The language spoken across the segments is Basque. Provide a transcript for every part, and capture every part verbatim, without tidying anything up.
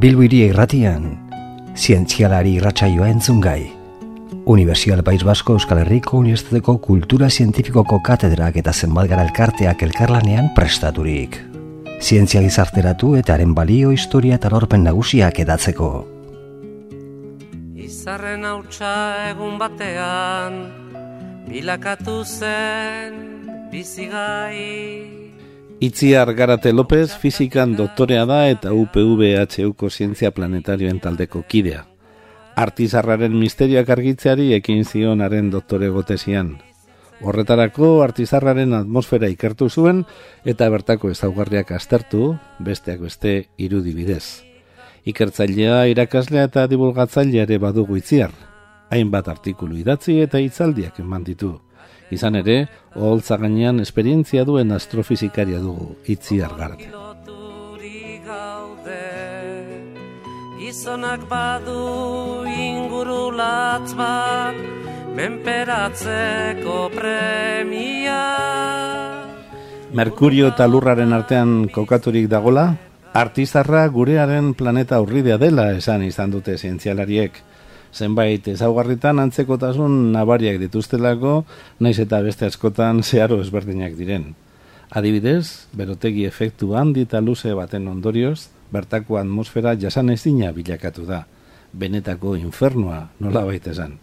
Bilbo Hiria Irratian, zientzialari irratsaioa entzungai. Unibertsial País Basko Euskal Herriko Unibertsitateko Kultura Zientifikoko katedrak eta zenbatgara elkarteak elkarlanean prestaturik. Zientzia gizarteratu eta haren balio, historia eta lorpen nagusiak edatzeko. Izarren hautsa egun batean, bilakatu zen bizigai. Itziar Garate López fizikan doktorea da eta U P V H Uko zientzia planetarioen taldeko kidea. Artizarraren misterioak argitzeari ekin zionaren doktorego tesian. Horretarako artizarraren atmosfera ikertu zuen eta bertako ezaugarriak aztertu, besteak beste irudi bidez. Ikertzailea, irakaslea eta divulgatzailea ere badugu Itziar. Hainbat artikulu idatzi eta hitzaldiak eman ditu. Izan ere, oholtza gainean esperientzia duen astrofizikaria dugu Itziar Garate. Gizonak badu ingurulatz bat, menperatzeko premia. Merkurio eta Lurraren artean kokaturik dagola, artizarra gurearen planeta urridea dela esan izan dute zientzialariek. Zenbait ezaugarritan antzekotasun nabariak dituztelako, naiz eta beste askotan zeharo ezberdinak diren. Adibidez, berotegi efektu handi eta luze baten ondorioz, bertako atmosfera jasanezina bilakatu da. Benetako infernua nolabait esan.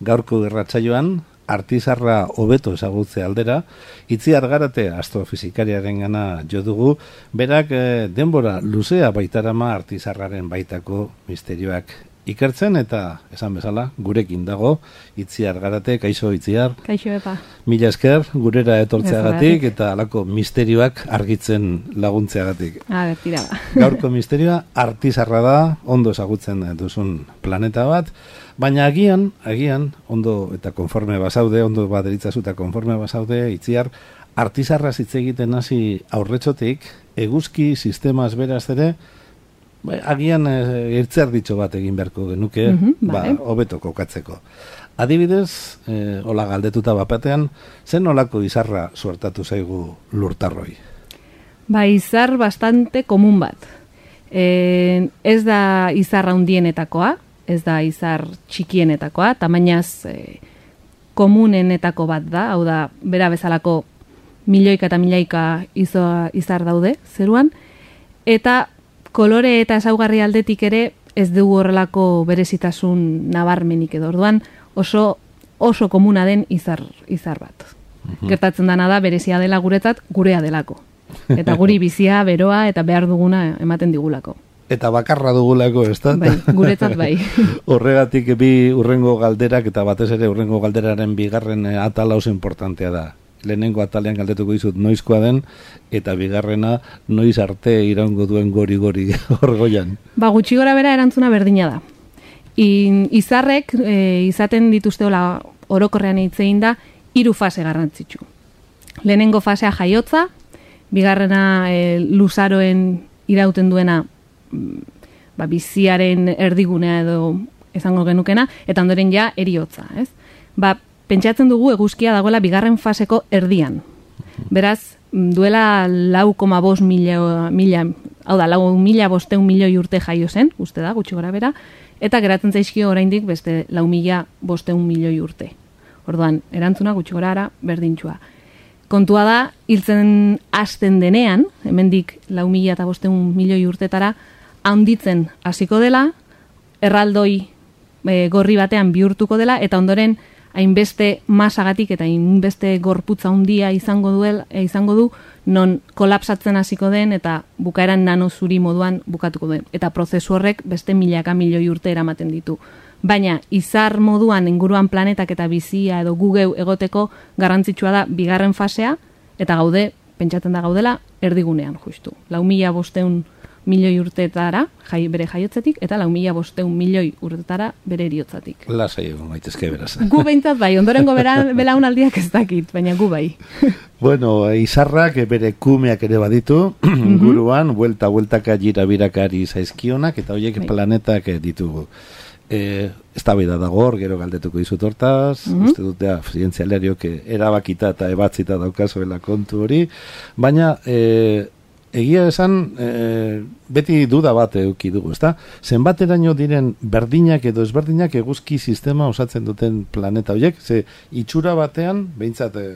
Gaurko irratsaioan, artizarra hobeto ezagutze aldera, Itziar Garate astrofizikariaren gana jo dugu, berak eh, denbora luzea baitarama artizarraren baitako misterioak ikertzen eta, esan bezala, gurekin dago, Itziar Garate, kaixo Itziar. Kaixo epa. Mila esker, gurera etortzeagatik eta alako misterioak argitzen laguntzeagatik. A ber, tira ba. Gaurko misterioa artizarra da, ondo ezagutzen duzun planeta bat, baina agian, agian, ondo eta konforme basaude, ondo baderitzazu eta konforme basaude, Itziar, artizarra hitz egiten hasi aurretxotik, eguzki sistemaz beraz ere, Ba, agian e, ertzer ditxo bat egin beharko genuke, mm-hmm, ba, hobeto kokatzeko. Adibidez, e, hola galdetuta bapatean, zen olako izarra suertatu zaigu lurtarroi? Ba, izar bastante komun bat. E, ez da izar handienetakoa, ez da izar txikienetakoa, tamainaz e, komunenetako bat da, hau da, bera bezalako milioika eta milioika izo, izar daude, zeruan, eta kolore eta ezaugarri aldetik ere ez dugu horrelako berezitasun nabarmenik edo. Orduan oso oso komuna den izar izar bat. Uh-huh. Gertatzen dana da berezia dela guretzat, gurea delako. Eta guri bizia, beroa eta behar duguna ematen digulako. Eta bakarra dugulako, ez da? Bai, guretzat bai. Horregatik bi urrengo galderak eta batez ere urrengo galderaren bigarren atala oso importantea da. Lehenengo atalean galdetuko dizut noizkoa den, eta bigarrena noiz arte iraungo duen gori-gori orgoian. Ba, gutxi gora bera erantzuna berdina da. I, izarrek e, izaten dituzteola orokorrean hitzein da hiru fase garrantzitsu. Lehenengo fasea jaiotza, bigarrena e, luzaroen irauten duena ba, biziaren erdigunea edo izango genukena, eta ondoren ja eriotza, ez? Ba, pentsatzen dugu eguzkia dagoela bigarren faseko erdian. Beraz, duela lau koma bost mila, mila, hau da, lau mila bosteun milioi urte jaio zen, uste da, gutxi gora bera, eta geratzen zaizkio oraindik beste lau mila bosteun milioi urte. Orduan, erantzuna gutxi gora ara berdintxua. Kontua da, hiltzen hasten denean, hemendik lau mila eta bosteun milioi urtetara, handitzen hasiko dela, erraldoi e, gorri batean bihurtuko dela, eta ondoren, hainbeste masagatik eta hainbeste gorputza handia izango duel, izango du, non kolapsatzen hasiko den eta bukaeran nano zuri moduan bukatuko den. Eta prozesu horrek beste milaka milioi urte eramaten ditu. Baina izar moduan inguruan planetak eta bizia edo gugeu egoteko garrantzitsua da bigarren fasea, eta gaude, pentsatzen da gaudela, erdigunean justu. Lau mila bosteun milioi urtetara, jai, bere jaiotzatik, eta lau mila bosteun milioi urtetara bere eriotzatik. Lasai egon gaitezke beraz. Gu behintzat bai, ondorengo belaunaldiak ez dakit, baina gu bai. Bueno, izarrak bere kumeak ere baditu, guruan, buelta-bueltaka jirabirakari zaizkionak, eta horiek bai. Planetak ditugu. E, ez da beda dago hor, gero galdetuko dizut hortaz, mm-hmm. uste dute zientzialariok erabakita eta ebatzita daukazuela kontu hori, baina e, egia esan, e, beti duda bat eduki dugu, ezta? Zenbateraino diren berdinak edo ezberdinak eguzki sistema osatzen duten planeta horiek, ze itxura batean, behintzat e,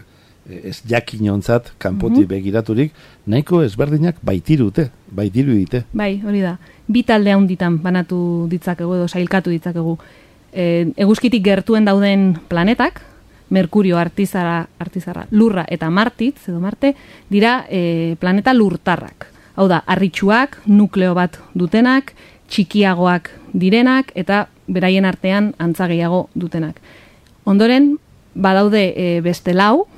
ez jakinontzat, kanpotik mm-hmm. begiraturik, nahiko ezberdinak baitirute, baitiru dite. Bai, hori da. Bi talde handitan banatu ditzakegu edo sailkatu ditzakegu. E, eguzkitik gertuen dauden planetak, Merkurio, Artizara, Artizarra, Lurra eta Martitz, edo Marte, dira e, planeta lurtarrak. Hau da, harritsuak, nukleo bat dutenak, txikiagoak direnak, eta beraien artean antza gehiago dutenak. Ondoren, badaude e, beste lau,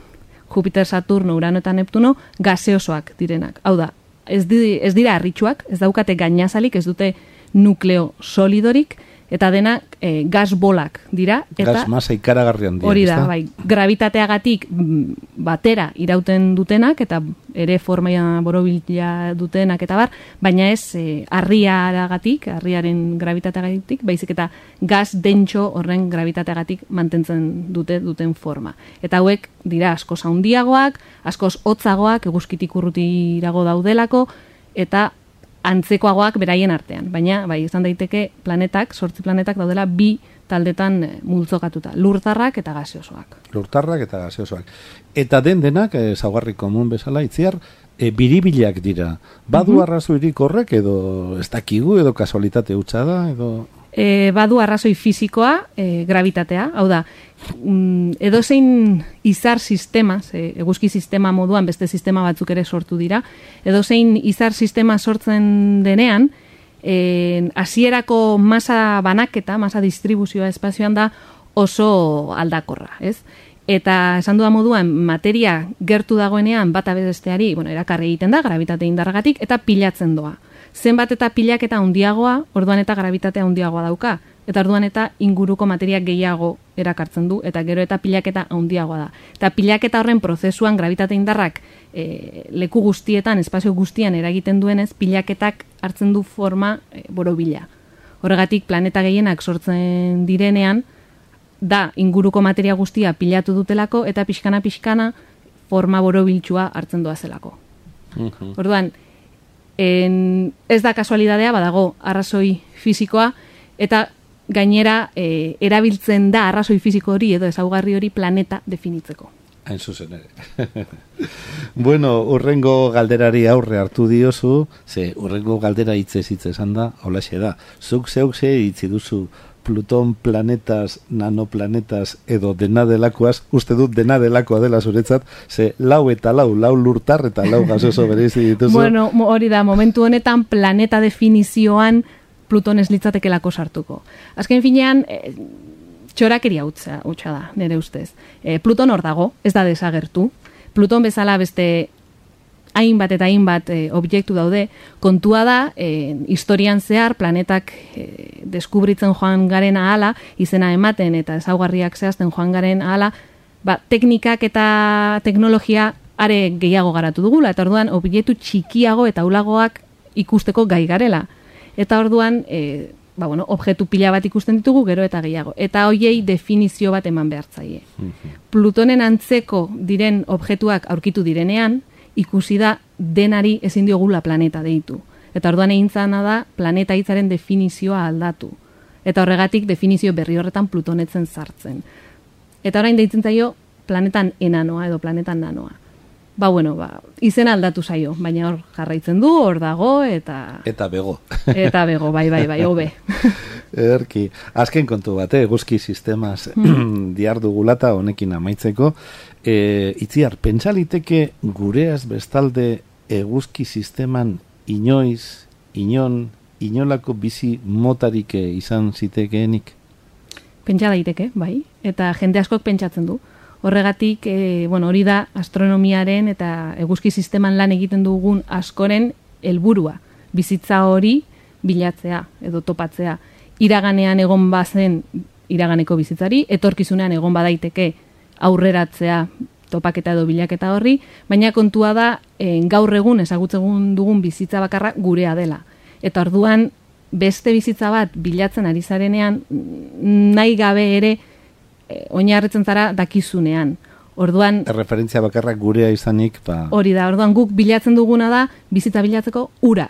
Jupiter, Saturno, Urano eta Neptuno, gaseosoak direnak. Hau da, ez, di, ez dira harritsuak, ez daukate gainazalik, ez dute nukleo solidorik, eta denak e, gas bolak dira. Eta gas masa ikaragarrian dira. Hori da, bai, gravitateagatik batera irauten dutenak, eta ere forma borobila dutenak, eta bar, baina ez e, harriaragatik, harriaren gravitateagatik, baizik eta gas dentxo horren gravitateagatik mantentzen dute duten forma. Eta hauek dira askoz handiagoak, askoz hotzagoak, eguzkitik urrutirago daudelako, eta antzekoagoak beraien artean, baina bai, izan daiteke planetak, sortzi planetak daudela bi taldetan multzokatuta, lurtarrak eta gaseosoak. Lurtarrak eta gaseosoak. Eta den denak, ezaugarri komun bezala, Itziar, e, biribilak dira. Badu mm-hmm. arrazoirik horrek, edo ez dakigu, edo kasualitate hutsa da, edo... E, badu arrazoi fisikoa, e, gravitatea, hau da, mm, edozein izar sistema, e, eguzki sistema moduan beste sistema batzuk ere sortu dira, edozein izar sistema sortzen denean, e, hasierako masa banaketa, masa distribuzioa espazioan da oso aldakorra, ez? Eta esan duda moduan, materia gertu dagoenean bata besteari, bueno, erakarri egiten da, gravitate indarragatik, eta pilatzen doa. Zenbat eta pilaketa handiagoa, orduan eta gravitatea handiagoa dauka. Eta orduan eta inguruko materia gehiago erakartzen du, eta gero eta pilaketa handiagoa da. Eta pilaketa horren prozesuan gravitate indarrak e, leku guztietan, espazio guztian eragiten duenez, pilaketak hartzen du forma e, borobila. Horregatik planeta gehienak sortzen direnean, da inguruko materia guztia pilatu dutelako, eta pixkana-pixkana forma borobiltsua hartzen doazelako. Mm-hmm. Orduan, En, ez da kasualidadea, badago arrazoi fisikoa, eta gainera e, erabiltzen da arrazoi fisiko hori edo ezaugarri hori planeta definitzeko. Hain zuzen ere. Bueno, urrengo galderari aurre hartu diozu, ze urrengo galdera hitzez hitz esan da, holaxe da. Zuk zeuk ze hitzi duzu Pluton planetas, nanoplanetas edo dena delakoaz, uste dut dena delakoa dela zuretzat, ze lau eta lau, lau lurtar eta lau gasoso bereizi dituzu. Bueno, hori da, momentu honetan planeta definizioan Pluton ez litzatekelako sartuko. Azken finean, e, txorakeria hutsa, hutsa da, nire ustez. E, Pluton hor dago, ez da desagertu. Pluton bezala beste hainbat eta hainbat e, objektu daude, kontua da, e, historian zehar planetak e, deskubritzen joan garen ahala, izena ematen eta ezaugarriak zehazten joan garen ahala, ba, teknikak eta teknologia are gehiago garatu dugula, eta orduan objektu txikiago eta ulagoak ikusteko gai garela. Eta orduan, e, ba, bueno, objektu pila bat ikusten ditugu, gero eta gehiago. Eta hoiei definizio bat eman behartzaie. Mm-hmm. Plutonen antzeko diren objektuak aurkitu direnean, ikusi da denari ezin diogula planeta deitu. Eta orduan egin zana da planeta hitzaren definizioa aldatu. Eta horregatik definizio berri horretan Plutonetzen sartzen. Eta orain deitzen zaio planetan enanoa edo planetan nanoa. Ba, bueno, ba, izena aldatu zaio, baina hor jarraitzen du, hor dago, eta... Eta bego. Eta bego, bai, bai, bai, hobe. Erki, azken kontu bat, eguzki sistemaz mm. diardugulata honekin amaitzeko, e, Itziar, pentsaliteke gureaz bestalde eguzki sisteman inoiz, inon, inolako bizi motarik izan zitekeenik? Pentsa daiteke, bai, eta jende askok pentsatzen du. Horregatik, e, bueno, hori da astronomiaren eta eguzki sisteman lan egiten dugun askoren helburua. Bizitza hori bilatzea edo topatzea. Iraganean egon bazen iraganeko bizitzari, etorkizunean egon badaiteke aurreratzea topaketa edo bilaketa horri, baina kontua da e, gaur egun ezagutzen dugun bizitza bakarra gurea dela. Eta orduan beste bizitza bat bilatzen ari zarenean nahi gabe ere e, oinarritzen zara dakizunean. Orduan, referentzia bakarrak gurea izanik, ba... Hori da, orduan guk bilatzen duguna da bizitza bilatzeko ura.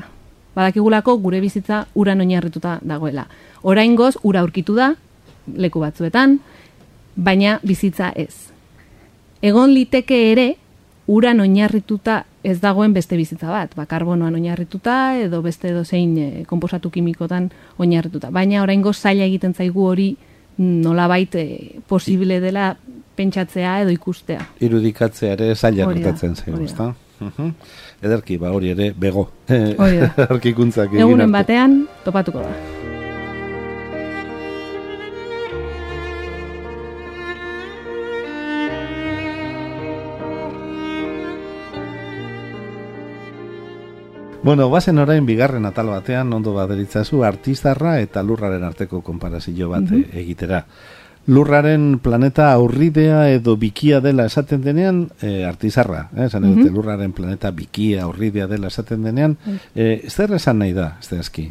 Badakigulako gure bizitza uran oinarrituta dagoela. Oraingoz ura aurkitu da leku batzuetan, baina bizitza ez. Egon liteke ere uran oinarrituta ez dagoen beste bizitza bat, ba, karbonoan oinarrituta edo beste edo zein e, konposatu kimikotan oinarrituta. Baina oraingoz zaila egiten zaigu hori nolabait e, posible dela pentsatzea edo ikustea. Irudikatzea ere zaila gertatzen zaigu, ezta? Uh-huh. Ederki, ba hori ere bego. Hori da. Arkikuntzak egin egunen batean topatuko da. Bueno, bazen orain bigarren atal batean ondo baderitzazu artizarra eta lurraren arteko konparazio bat uh-huh. egitera. Lurraren planeta aurridea edo bikia dela esaten denean, e, artizarra, eh, esan edute, uh-huh. lurraren planeta bikia aurridea dela esaten denean, e, zer esan nahi da, ez da eski?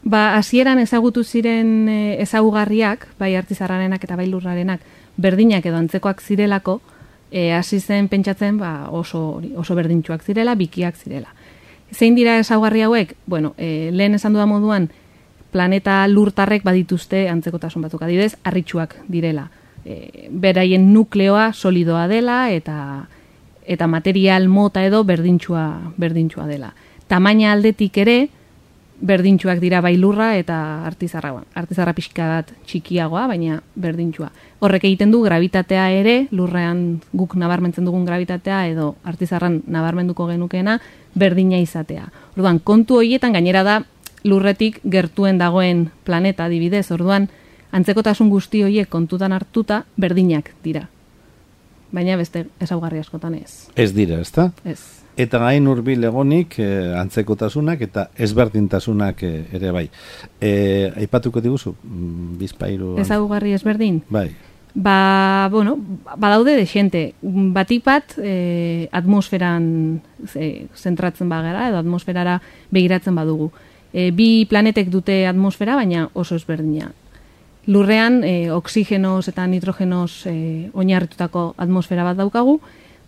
Ba, hasieran ezagutu ziren e, ezagugarriak, bai artizarrarenak eta bai lurrarenak, berdinak edo antzekoak zirelako, e, hasi zen pentsatzen ba, oso, oso berdintsuak zirela, bikiak zirela. Zein dira ezaugarri hauek? Bueno, e, lehen esan duda moduan, planeta lurtarrek badituzte antzekotasun batzuk, adibidez, harritsuak direla. E, beraien nukleoa solidoa dela eta eta material mota edo berdintsua berdintsua dela. Tamaina aldetik ere berdintsuak dira bai lurra eta artizarra. Artizarra pixka bat txikiagoa, baina berdintsua. Horrek egiten du gravitatea ere, lurrean guk nabarmentzen dugun gravitatea edo artizarran nabarmenduko genukeena berdina izatea. Orduan, kontu horietan gainera da lurretik gertuen dagoen planeta adibidez, orduan antzekotasun guzti horiek kontutan hartuta berdinak dira. Baina beste ezaugarri askotan ez. Ez dira, ezta? Ez. Eta hain hurbil egonik eh, antzekotasunak eta ezberdintasunak eh, ere bai. Eh, aipatuko diguzu bizpairu ezaugarri ezberdin? Bai. Ba, bueno, badaude de xente. Batik bat eh, atmosferan eh, zentratzen bagara edo atmosferara begiratzen badugu. E, bi planetek dute atmosfera, baina oso ezberdina. Lurrean, e, oksigenoz eta nitrogenoz e, oinarritutako atmosfera bat daukagu,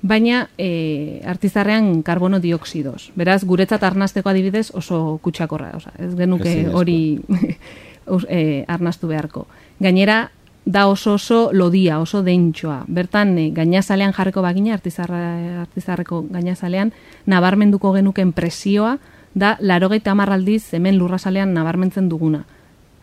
baina e, artizarrean karbono dioksidoz. Beraz, guretzat arnasteko adibidez oso kutsakorra. Osa, ez genuke hori e, arnastu beharko. Gainera, da oso oso lodia, oso deintxoa. Bertan, e, gainazalean jarriko bagina, artizarra, artizarreko gainazalean, nabarmenduko genuken presioa, da larogeita hamar aldiz hemen lurrazalean nabarmentzen duguna.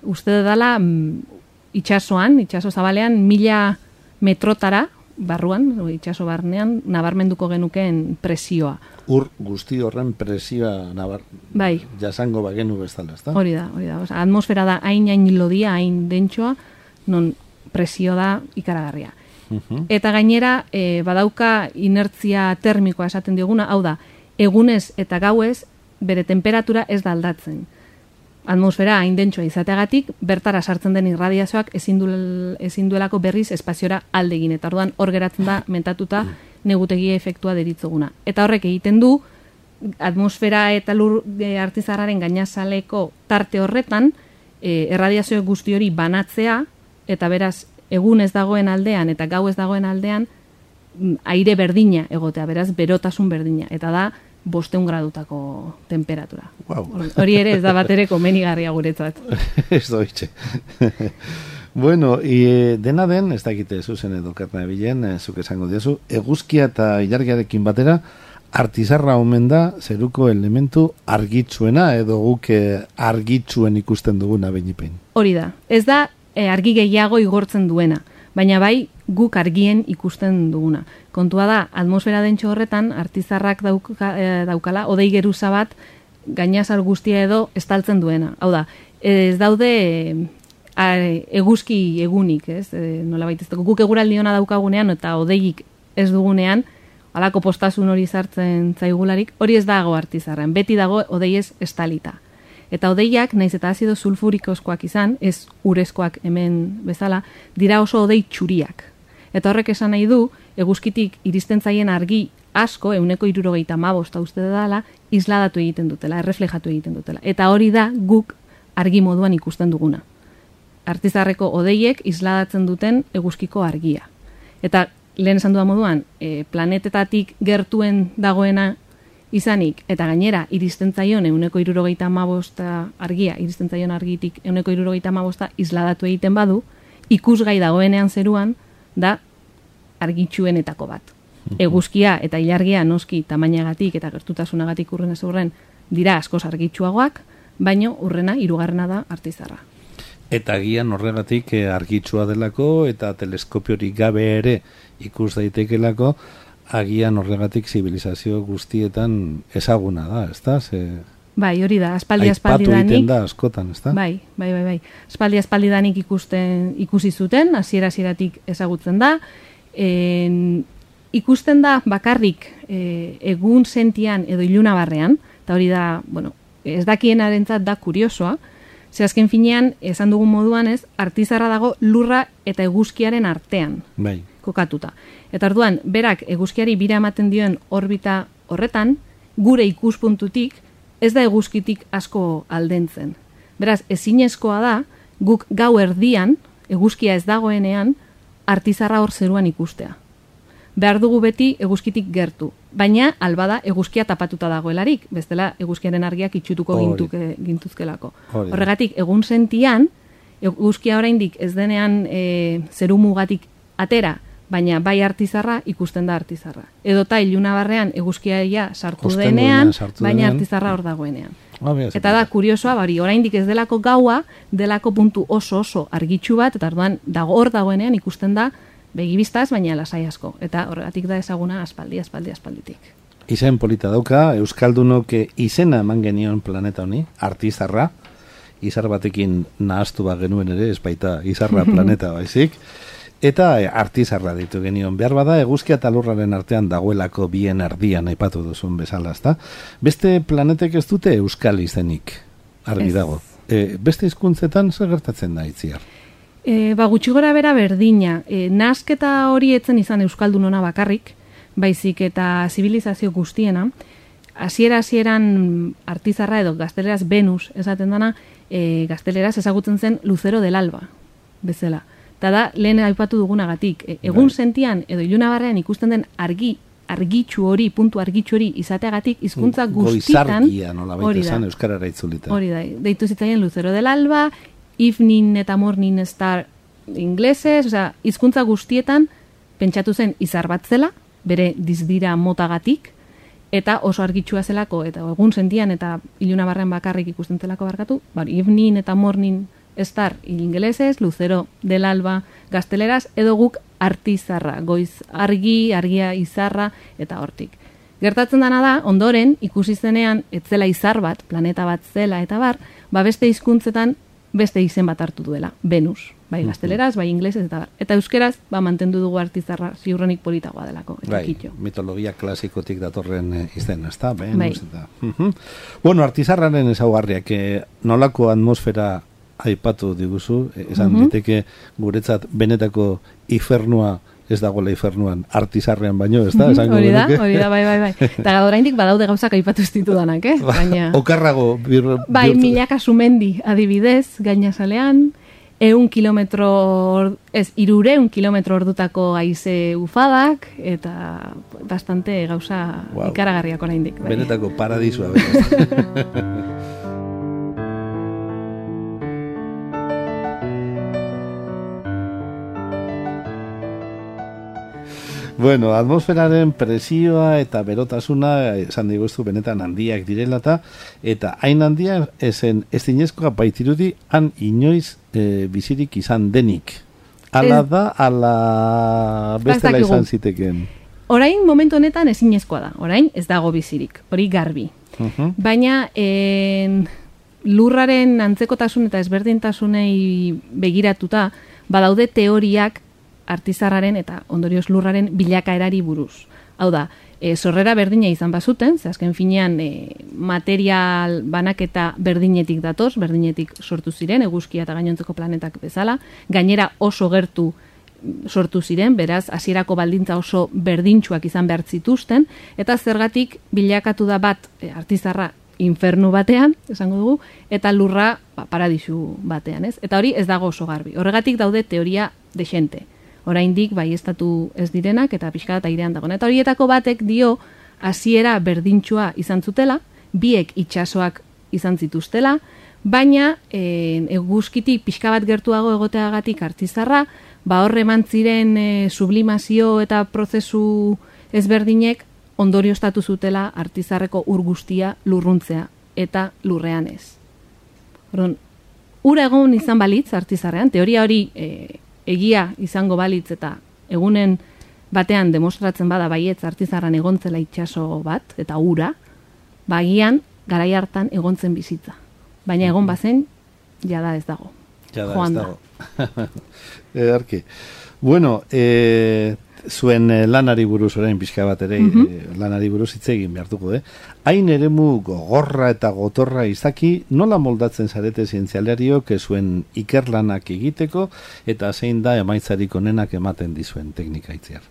Uste dela mm, itxasoan, itxaso zabalean, mila metrotara, barruan, itxaso barnean, nabarmenduko genukeen presioa. Ur guzti horren presioa nabar... bai. jasango bagenu bezala, ezta? Hori da, hori da. Osa, atmosfera da hain hain lodia, hain dentsoa, non presio da ikaragarria. Uh-huh. Eta gainera, e, badauka inertzia termikoa esaten dioguna, hau da, egunez eta gauez, bere temperatura ez da aldatzen. Atmosfera hain dentsoa izateagatik, bertara sartzen den irradiazioak ezin, duel, ezin duelako berriz espaziora aldegin. Eta orduan hor geratzen da mentatuta negutegia efektua deritzoguna. Eta horrek egiten du, atmosfera eta lur e, artizarraren gainazaleko tarte horretan, e, erradiazio guzti hori banatzea, eta beraz, egun ez dagoen aldean eta gau ez dagoen aldean, aire berdina egotea, beraz, berotasun berdina. Eta da, bosteun gradutako temperatura. Wow. Hori ere ez da bat ere komenigarria guretzat. Ez doitxe. Bueno, e, dena den, ez dakite zuzen edo karna ebilen, e, zuk esango diozu, eguzkia eta ilargiarekin batera, artizarra omen da zeruko elementu argitzuena edo guk argitzuen ikusten duguna beinipein. Hori da. Ez da e, argi gehiago igortzen duena, baina bai guk argien ikusten duguna. Kontua da, atmosfera dentxo horretan, artizarrak dauka, e, daukala, odei geruza bat, gainazal guztia edo estaltzen duena. Hau da, ez daude e, eguzki egunik, ez? E, nola baitezteko, guk eguraldi ona daukagunean eta odeik ez dugunean, halako postasun hori sartzen zaigularik, hori ez dago artizarran, beti dago odeiez estalita. Eta odeiak, naiz eta azido sulfurikoskoak izan, ez urezkoak hemen bezala, dira oso odei txuriak. Eta horrek esan nahi du, eguzkitik iristen zaien argi asko, euneko hirurogeita hamabosta uste dela, isladatu egiten dutela, erreflejatu egiten dutela. Eta hori da guk argi moduan ikusten duguna. Artizarreko odeiek isladatzen duten eguzkiko argia. Eta lehen esan dudan moduan, e, planetetatik gertuen dagoena izanik, eta gainera, iristen zaion euneko irurogeita hamabosta argia, iristen zaion argitik euneko irurogeita hamabosta isladatu egiten badu, ikusgai dagoenean zeruan, da argitsuenetako bat. Eguzkia eta ilargia noski tamainagatik eta gertutasunagatik urren ez urren dira askoz argitsuagoak, baino urrena hirugarrena da artizarra. Eta agian horregatik argitsua delako eta teleskopiorik gabe ere ikus daitekelako, agian horregatik zibilizazio guztietan ezaguna da, ezta? Ze... Bai, hori da, aspaldi aspaldi danik. Aipatu egiten da askotan, ezta? Bai, bai, bai, bai. Aspaldi aspaldi danik ikusten, ikusi zuten, hasiera hasieratik ezagutzen da. En, ikusten da bakarrik e, egun sentian edo ilunabarrean, eta hori da, bueno, ez dakienarentzat da kuriosoa, ze azken finean, esan dugun moduan ez, artizarra dago lurra eta eguzkiaren artean. Bai. Kokatuta. Eta orduan, berak eguzkiari bira ematen dioen orbita horretan, gure ikuspuntutik, ez da eguzkitik asko aldentzen. Beraz, ezinezkoa da, guk gau erdian, eguzkia ez dagoenean, artizarra hor zeruan ikustea. Behar dugu beti eguzkitik gertu, baina albada eguzkia tapatuta dagoelarik, bestela eguzkiaren argiak itxutuko gintuke, gintuzkelako. Hori. Horregatik, egun sentian, eguzkia oraindik ez denean e, zeru mugatik atera, baina bai artizarra ikusten da artizarra. Edota ilunabarrean eguzkia sartu Osten denean, sartu baina denean. Artizarra hor dagoenean. Ah, eta da kuriosoa, bari, oraindik ez delako gaua, delako puntu oso oso argitsu bat, eta orduan dago hor dagoenean ikusten da begibistaz, baina lasai asko. Eta horregatik da ezaguna aspaldi, aspaldi, aspalditik. Izen polita dauka, Euskaldunok izena eman genion planeta honi, artizarra, izar batekin nahaztu bat genuen ere, ez baita izarra planeta baizik, eta artizarra ditu genion. Behar bada, eguzkia eta lurraren artean dagoelako bien erdian aipatu duzun bezala, ezta? Beste planetek ez dute euskal izenik, argi dago. E, beste hizkuntzetan zer gertatzen da itziar? E, ba, gutxi gora bera berdina. E, nasketa hori etzen izan euskaldunona bakarrik, baizik eta zibilizazio guztiena, hasiera hasieran artizarra edo gazteleraz Venus esaten dana, e, gazteleraz ezagutzen zen Lucero del Alba, bezala. Eta da, lehen aipatu dugunagatik, e, egun Bai. sentian edo ilunabarrean ikusten den argi, argitxu hori, puntu argitxu hori izateagatik, hizkuntza guztitan... Goizargia nola baita esan, euskarara itzulita. Hori da, deitu zitzaien Lucero del Alba, Evening eta Morning Star inglesez, osea, hizkuntza guztietan pentsatu zen izar bat zela, bere dizdira motagatik, eta oso argitsua zelako, eta egun sentian eta ilunabarrean bakarrik ikusten zelako barkatu, bari, Evening eta Morning Star ingelesez, Lucero del Alba gazteleraz, edo guk artizarra, goiz argi, argia izarra, eta hortik. Gertatzen dana da, ondoren, ikusi zenean, etzela izar bat, planeta bat zela, eta bar, ba beste hizkuntzetan beste izen bat hartu duela, Venus, bai gazteleraz, bai inglesez, eta bar. Eta euskeraz, ba mantendu dugu artizarra, ziurrenik politagoa delako, eta bai, kitxo. mitologia klasikotik datorren eh, izen, ez da? Venus, Bai. eta... Uh-huh. Bueno, artizarraren ezaugarriak, eh, nolako atmosfera aipatu diguzu, eh, esan Mhm. diteke guretzat benetako infernua ez dagoela infernuan artizarrean baino, ez da? Esango Hori da, genuke. hori da, bai, bai, bai. Eta oraindik badaude gauzak aipatu ez ditudanak, eh? Baina... Okarrago bir, Bai, bihurtu- milaka sumendi adibidez, gainazalean, eun kilometro, ez, irureun kilometro ordutako haize ufadak, eta bastante gauza Wow. ikaragarriak oraindik. Bai. Benetako paradisua. beraz. Bueno, atmosferaren presioa eta berotasuna esan diguztu benetan handiak direlata, eta hain handia esen ez dinezkoa baitirudi han inoiz e, bizirik izan denik. Ala Ez- da, ala bestela dakigu. izan ziteken. Orain momentu honetan ezinezkoa da. Orain ez dago bizirik, hori garbi. Uh-huh. Baina en, lurraren antzekotasun eta ezberdintasunei begiratuta, badaude teoriak artizarraren eta ondorioz lurraren bilakaerari buruz. Hau da, e, sorrera berdina izan bazuten, ze azken finean e, material banaketa berdinetik datoz, berdinetik sortu ziren, eguzkia eta gainontzeko planetak bezala, gainera oso gertu sortu ziren, beraz, hasierako baldintza oso berdintsuak izan behar zituzten, eta zergatik bilakatu da bat e, artizarra infernu batean, esango dugu, eta lurra ba, paradisu batean, ez? Eta hori ez dago oso garbi. Horregatik daude teoria dexente. oraindik baieztatu ez direnak eta pixka bat airean dago. Eta horietako batek dio hasiera berdintxua izan zutela, biek itsasoak izan zituztela, baina e, eguzkitik pixka bat gertuago egoteagatik Artizarra, ba horre eman ziren e, sublimazio eta prozesu ezberdinek ondorioztatu zutela Artizarreko ur guztia lurruntzea eta lurrean ez. Orduan, ura egon izan balitz Artizarrean, teoria hori e, egia izango balitz eta egunen batean demostratzen bada baietz Artizarran egontzela itsaso bat eta ura, bagian garai hartan egontzen bizitza. Baina egon bazen, jada ez dago. Jada Joan ez dago. Edarki. Bueno, e, zuen lanari buruz orain pixka bat ere, mm -hmm. e, lanari buruz hitz egin behartuko, eh? Hain eremu gogorra eta gotorra izaki, nola moldatzen zarete zientzialariok zuen ikerlanak egiteko, eta zein da emaitzarik onenak ematen dizuen teknika itziar?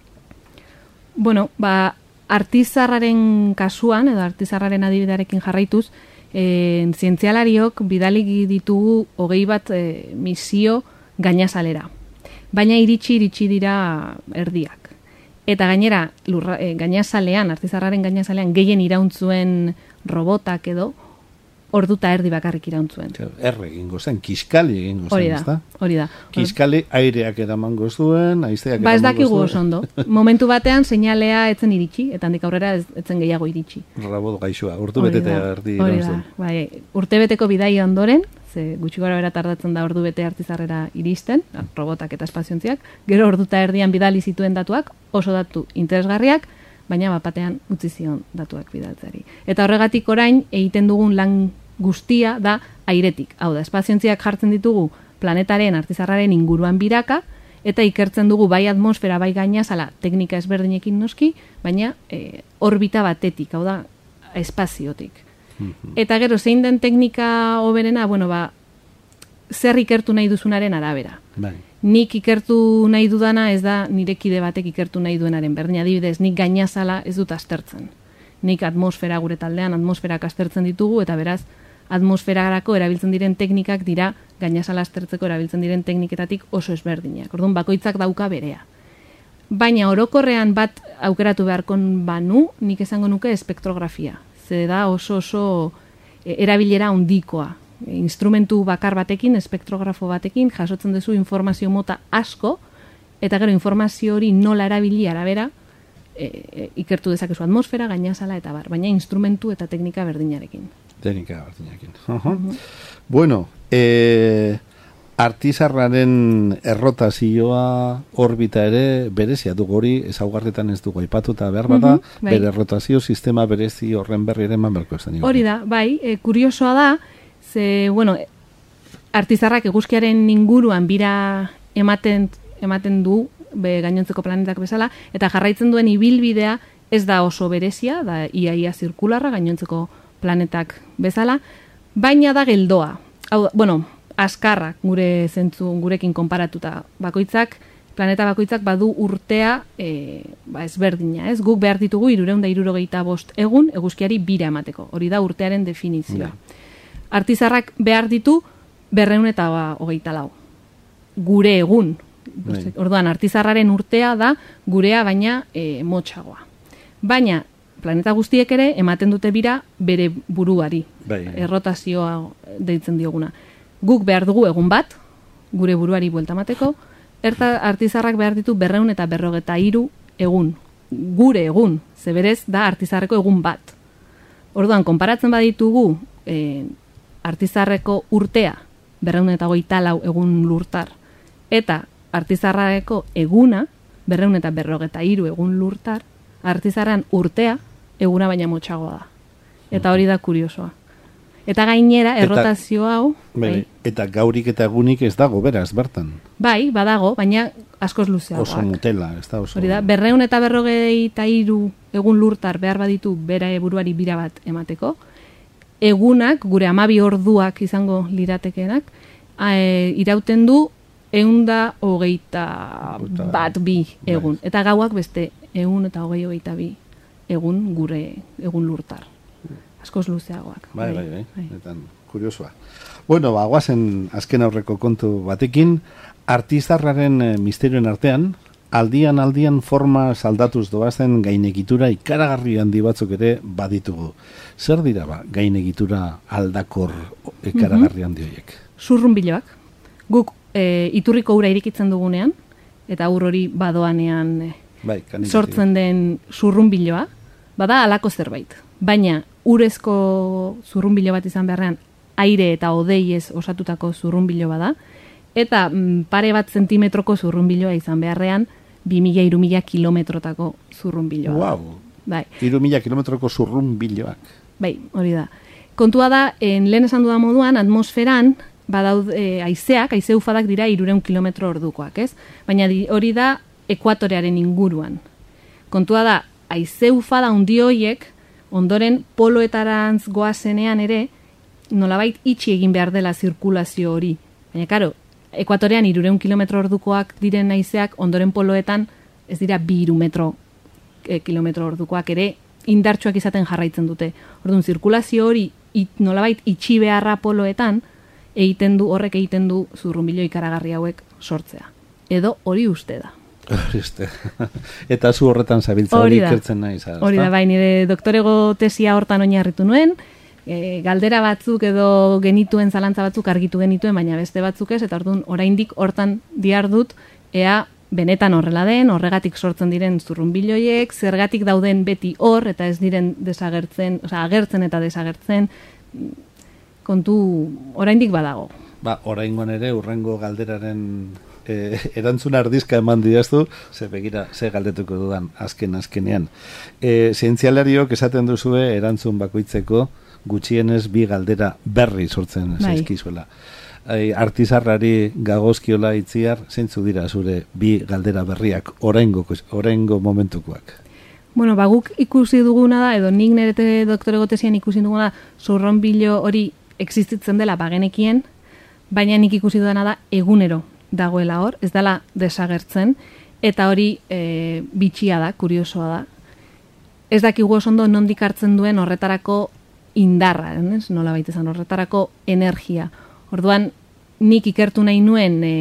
Bueno, ba, Artizarraren kasuan, edo Artizarraren adibidearekin jarraituz, e, zientzialariok bidali ditugu hogei bat e, misio gainazalera. Baina iritsi iritsi dira erdiak. Eta gainera, lurra, e, gainazalean, Artizarraren gainazalean, gehien irauntzuen robotak edo, orduta erdi bakarrik irauntzuen. Erre egingo zen, kiskali egingo zen, ezta? Hori da. Kiskali aireak eramango zuen, haizeak ba, eramango zuen. ez dakigu oso ondo. Momentu batean seinalea etzen iritsi, eta handik aurrera ez, etzen gehiago iritsi. Rabot gaixoa, urte bete eta erdi irauntzen. Bai, urte beteko bidai ondoren, ze gutxi gara bera tardatzen da ordu bete Artizarrera iristen, robotak eta espaziontziak, gero orduta erdian bidali zituen datuak, oso datu interesgarriak, baina bapatean utzi zion datuak bidaltzari. Eta horregatik orain egiten dugun lan guztia da airetik. Hau da, espaziontziak jartzen ditugu planetaren Artizarraren inguruan biraka, eta ikertzen dugu bai atmosfera, bai gainazala, teknika ezberdinekin noski, baina e, orbita batetik, hau da, espaziotik. Eta gero, zein den teknika hoberena, bueno, ba, zer ikertu nahi duzunaren arabera. Bai. Nik ikertu nahi dudana ez da nire kide batek ikertu nahi duenaren berdin, adibidez, nik gainazala ez dut aztertzen. Nik atmosfera gure taldean, atmosferak aztertzen ditugu, eta beraz, atmosferarako erabiltzen diren teknikak dira gainazala aztertzeko erabiltzen diren tekniketatik oso ezberdinak. Orduan, bakoitzak dauka berea. Baina orokorrean bat aukeratu beharkon banu, nik esango nuke espektrografia. Ze da oso oso erabilera handikoa. Instrumentu bakar batekin, espektrografo batekin, jasotzen duzu informazio mota asko, eta gero informazio hori nola erabili arabera, e, e, ikertu dezakezu atmosfera, gainazala eta bar, baina instrumentu eta teknika berdinarekin. Teknika berdinarekin. Uh-huh. Uh-huh. Bueno, e, Artizarraren errotazioa orbita ere berezia dugu hori, ezaugarretan ez dugu aipatuta behar bada, uh-huh, bai. Bere errotazio sistema berezi horren berri ere eman berko esan. Hori da, bai, e, kuriosoa da, ze, bueno, Artizarrak eguzkiaren inguruan bira ematen, ematen du, be, gainontzeko planetak bezala, eta jarraitzen duen ibilbidea ez da oso berezia, da iaia zirkularra gainontzeko planetak bezala, baina da geldoa. Hau, bueno, askarrak gure zentzu gurekin konparatuta bakoitzak, planeta bakoitzak badu urtea e, ba ezberdina, ez? Guk behar ditugu hirurehun eta hirurogeita bost egun eguzkiari bira emateko. Hori da urtearen definizioa. Artizarrak behar ditu berrehun eta hogeita lau. Gure egun. Bai. Orduan, Artizarraren urtea da gurea baina e, motxagoa. Baina, planeta guztiek ere ematen dute bira bere buruari. Bai. Errotazioa deitzen dioguna. Guk behar dugu egun bat, gure buruari buelta mateko, erta Artizarrak behar ditu berreun eta berrogeta hiru egun. Gure egun, zeberez da Artizarreko egun bat. Orduan, konparatzen baditugu e, Artizarreko urtea, berreun eta hogeita lau egun lurtar, eta Artizarreko eguna, berreun eta berrogeta hiru egun lurtar, Artizarran urtea eguna baina motxagoa da. Eta hori da kuriosoa. Eta gainera, errotazio hau... Bai, eta gaurik eta egunik ez dago, beraz, bertan. Bai, badago, baina askoz luzeagoak. Oso mutela, ez da oso... Hori da, berreun eta berrogeita hiru egun lurtar behar baditu bera buruari bira bat emateko. Egunak, gure hamabi orduak izango liratekenak, e, irauten du ehunda hogeita bat bi egun. Bai. Eta gauak beste ehun eta hogei hogeita bi egun gure egun lurtar. Askoz luzeagoak. Bai, bai, bai. bai. Eta kuriosoa. Bueno, ba, guazen azken aurreko kontu batekin, Artizarraren e, misterioen artean, aldian aldian forma saldatuz doazen gainegitura ikaragarri handi batzuk ere baditugu. Zer dira ba, gainegitura aldakor ikaragarri handi horiek? Zurrunbiloak. Guk e, iturriko ura irikitzen dugunean, eta ur hori badoanean e, bai, sortzen den zurrunbiloa, bada halako zerbait. Baina urezko zurrunbilo bat izan beharrean, aire eta hodeiez osatutako zurrunbilo bada, eta mm, pare bat zentimetroko zurrunbiloa izan beharrean, bi mila hiru mila kilometrotako zurrunbiloa. Wow. Bai. Hiru mila kilometroko zurrunbiloak. Bai, hori da. Kontua da, en, lehen esan dudan moduan, atmosferan, badaud e, aizeak, aize ufadak dira hirurehun kilometro ordukoak, ez? Baina di, hori da ekuatorearen inguruan. Kontua da, aize ufada handi horiek, ondoren poloetarantz goazenean ere, nolabait itxi egin behar dela zirkulazio hori. Baina, karo, ekuatorean hirurehun kilometro ordukoak diren aizeak, ondoren poloetan ez dira bi hiru metro e, kilometro ordukoak ere indartsuak izaten jarraitzen dute. Orduan, zirkulazio hori it, nolabait itxi beharra poloetan, egiten du, horrek egiten du zurrunbilo ikaragarri hauek sortzea. Edo hori uste da. Eta zu horretan zabiltza hori ikertzen nahi. Hori da, bai, nire doktorego tesia hortan oinarritu nuen, e, galdera batzuk edo genituen zalantza batzuk argitu genituen, baina beste batzuk ez, eta orduan oraindik hortan diardut, ea benetan horrela den, horregatik sortzen diren zurrunbiloiek, zergatik dauden beti hor, eta ez diren desagertzen, osea, agertzen eta desagertzen, kontu oraindik badago. Ba, oraingoan ere urrengo galderaren e, erantzun ardizka eman diaztu, ze begira, ze galdetuko dudan azken azkenean. E, zientzialariok esaten duzue erantzun bakoitzeko gutxienez bi galdera berri sortzen bai. Zaizkizuela. E, artizarrari gagozkiola itziar, zeintzu dira zure bi galdera berriak oraingo, oraingo momentukoak? Bueno, ba, guk ikusi duguna da, edo nik nire doktorego tesian ikusi duguna da, zurrunbilo hori existitzen dela bagenekien, baina nik ikusi dudana da egunero dagoela hor, ez dela desagertzen, eta hori e, bitxia da, kuriosoa da. Ez dakigu oso ondo nondik hartzen duen horretarako indarra, ez? Nola baita izan, horretarako energia. Orduan, nik ikertu nahi nuen e,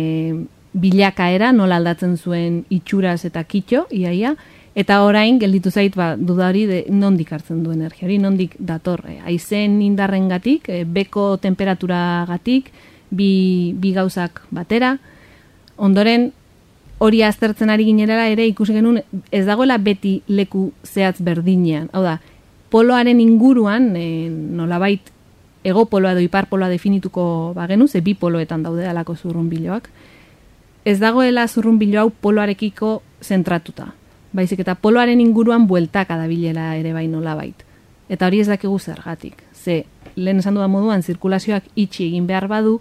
bilakaera, nola aldatzen zuen itxuraz eta kitxo, iaia, eta orain gelditu zait ba, duda hori de nondik hartzen du energia hori, nondik dator. E, aizen indarrengatik, e, beko temperaturagatik, bi, bi gauzak batera. Ondoren hori aztertzen ari ginerela ere ikusi genuen ez dagoela beti leku zehatz berdinean. Hau da, poloaren inguruan, e, nolabait ego poloa edo ipar poloa definituko bagenu, ze bi poloetan daude alako zurrunbiloak. Ez dagoela zurrunbilo hau poloarekiko zentratuta. Baizik eta poloaren inguruan bueltaka dabilela ere bai nolabait. Eta hori ez dakigu zergatik. Ze, lehen esan dudan moduan, zirkulazioak itxi egin behar badu,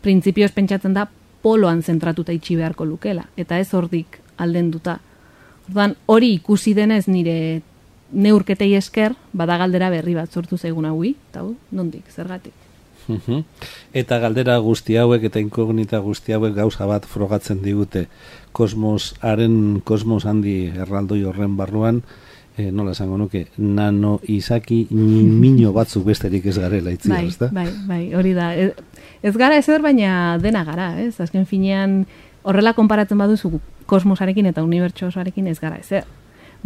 printzipioz pentsatzen da poloan zentratuta itxi beharko lukela. Eta ez hordik aldenduta. Orduan, hori ikusi denez nire neurketei esker, bada galdera berri bat sortu zaigun haui, eta hu, nondik, zergatik. Eta galdera guzti hauek eta inkognita guzti hauek gauza bat frogatzen digute kosmosaren, kosmos handi erraldoi horren barruan, e, nola esango nuke, nano izaki mino batzuk besterik ez garela itzi, bai, ez da? Bai, bai, hori da. Ez, ez gara ezer, baina dena gara, ez? Azken finean horrela konparatzen baduzu kosmosarekin eta unibertso osoarekin ez gara ezer.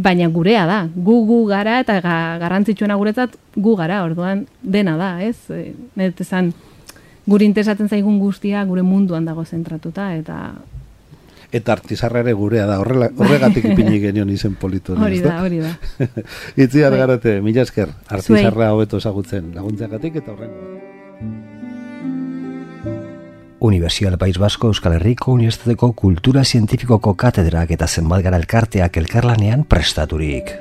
Baina gurea da, gu gu gara eta ga, garrantzitsuena guretzat gu gara, orduan dena da, ez? E, Net esan, guri interesatzen zaigun guztia gure munduan dago zentratuta, eta... Eta artizarra ere gurea da, horrela, horregatik ipini genion izen politu. Hori da, hori da. Itziar Garate, mila esker, artizarra hobeto ezagutzen laguntzeagatik eta horrengo. Universidad País Vasco Euskal Herriko Unibertsitateko Kultura Zientifikoko katedrak eta zenbat gara elkarteak elkarlanean prestaturik.